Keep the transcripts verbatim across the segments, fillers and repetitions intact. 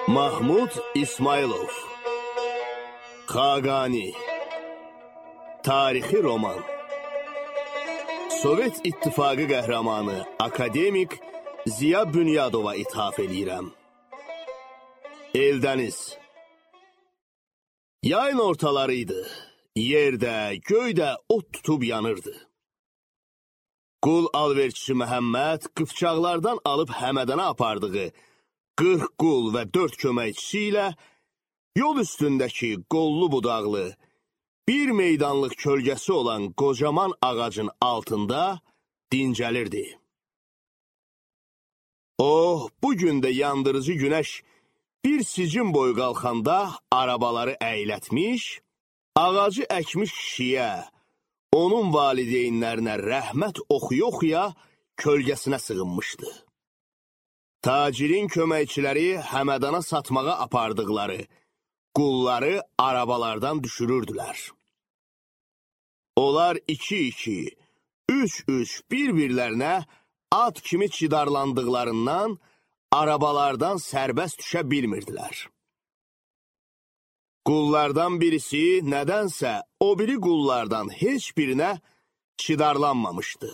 Mahmud İsmailov Xaqani Tarixi roman Sovet İttifaqı qəhrəmanı akademik Ziya Bünyadova ithaf edirəm. Eldəniz Yayın ortalarıydı. Yerdə, göydə ot tutub yanırdı. Qul alverçisi Məhəmməd qıfçaqlardan alıb Həmədana apardığı qırx qul və dörd köməkçisi ilə yol üstündəki qollu budaqlı, bir meydanlıq kölgəsi olan qocaman ağacın altında dincəlirdi. O, bugün də yandırıcı günəş bir sicin boyu qalxanda arabaları əylətmiş, ağacı əkmiş kişiyə, onun valideynlərinə rəhmət oxuya-oxuya kölgəsinə sığınmışdı. Tacirin köməkçiləri Həmədana satmağa apardıqları qulları arabalardan düşürürdülər. Onlar iki-iki, üç-üç bir-birlərinə at kimi çidarlandıqlarından arabalardan sərbəst düşə bilmirdilər. Qullardan birisi nədənsə o biri qullardan heç birinə çidarlanmamışdı.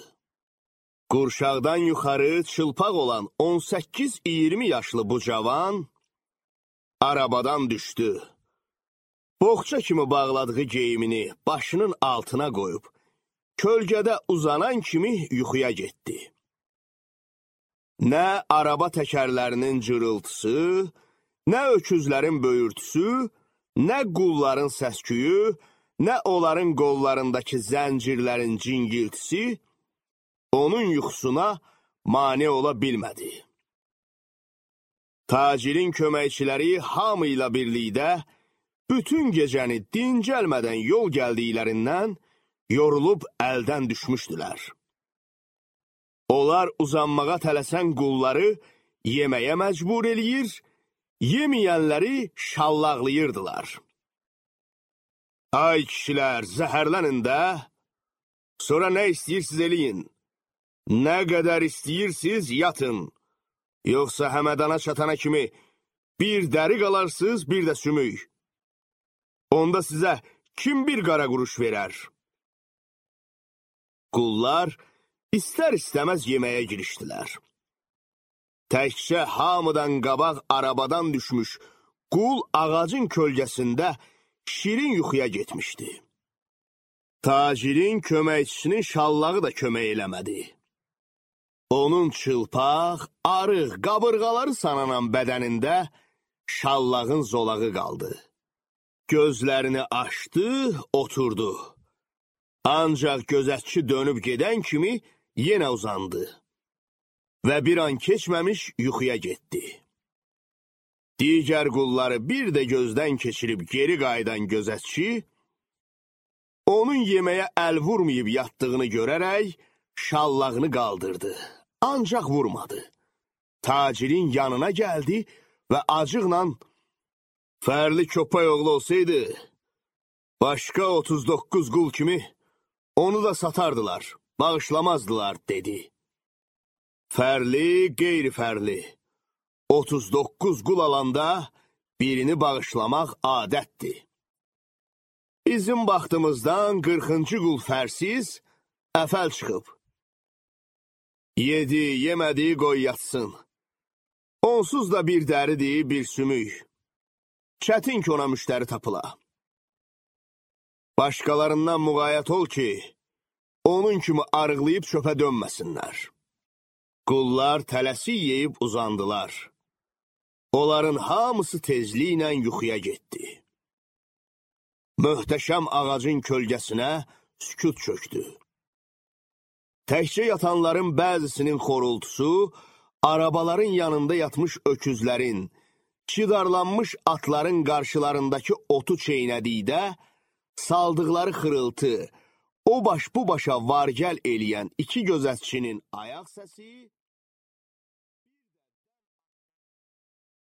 Qurşaqdan yuxarı çılpaq olan on səkkiz iyirmi yaşlı bu cavan arabadan düşdü. Boğça kimi bağladığı geyimini başının altına qoyub, kölgədə uzanan kimi yuxuya getdi. Nə araba təkərlərinin cırıltısı, nə öküzlərin böyürtüsü, nə qulların səsküyü, nə onların qollarındakı zəncirlərin cingiltisi onun yuxusuna mane ola bilmədi. Tacirin köməkçiləri hamı ilə birlikdə bütün gecəni dincəlmədən yol gəldiklərindən yorulub əldən düşmüşdülər. Onlar uzanmağa tələsən qulları yeməyə məcbur eləyir, yeməyənləri şallaqlayırdılar. Ay kişilər, zəhərlənin də, sonra nə istəyirsiniz eləyin, nə qədər istəyirsiniz yatın, yoxsa Həmədana çatana kimi bir dəri qalarsınız, bir də sümük. Onda sizə kim bir qara quruş verər? Qullar istər-istəməz yeməyə girişdilər. Təkcə hamıdan qabaq arabadan düşmüş qul ağacın kölgəsində şirin yuxuya getmişdi. Tacirin köməkçisinin şallağı da kömək eləmədi. Onun çılpaq, arıq, qabırğaları sananan bədənində şallağın zolağı qaldı. Gözlərini açdı, oturdu. Ancaq gözətçi dönüb gedən kimi yenə uzandı və bir an keçməmiş yuxuya getdi. Digər qulları bir də gözdən keçirib geri qayıdan gözətçi, onun yeməyə əl vurmayıb yatdığını görərək şallağını qaldırdı, ancaq vurmadı. Tacirin yanına gəldi və acıqla, "Fərli köpək oğlu olsaydı, başqa otuz doqquz qul kimi onu da satardılar, bağışlamazdılar," dedi. Fərli, qeyri-fərli, otuz doqquz qul alanda birini bağışlamaq adətdir. Bizim baxtımızdan qırxıncı qul fərsiz, əfəl çıxıb. Yedi, yemədi, qoy yatsın. Onsuz da bir dəridir, bir sümük. Çətin ki ona müştəri tapıla. Başqalarından müğayət ol ki, onun kimi arıqlayıb çöpə dönməsinlər. Qullar tələsik yeyib uzandılar. Onların hamısı tezliklə yuxuya getdi. Möhtəşəm ağacın kölgəsinə sükut çöktü. Təkcə yatanların bəzisinin xorultusu, arabaların yanında yatmış öküzlərin, çidarlanmış atların qarşılarındakı otu çeynədikdə, saldıqları xırıltı, o baş bu başa vargəl eləyən iki gözətçinin ayaq səsi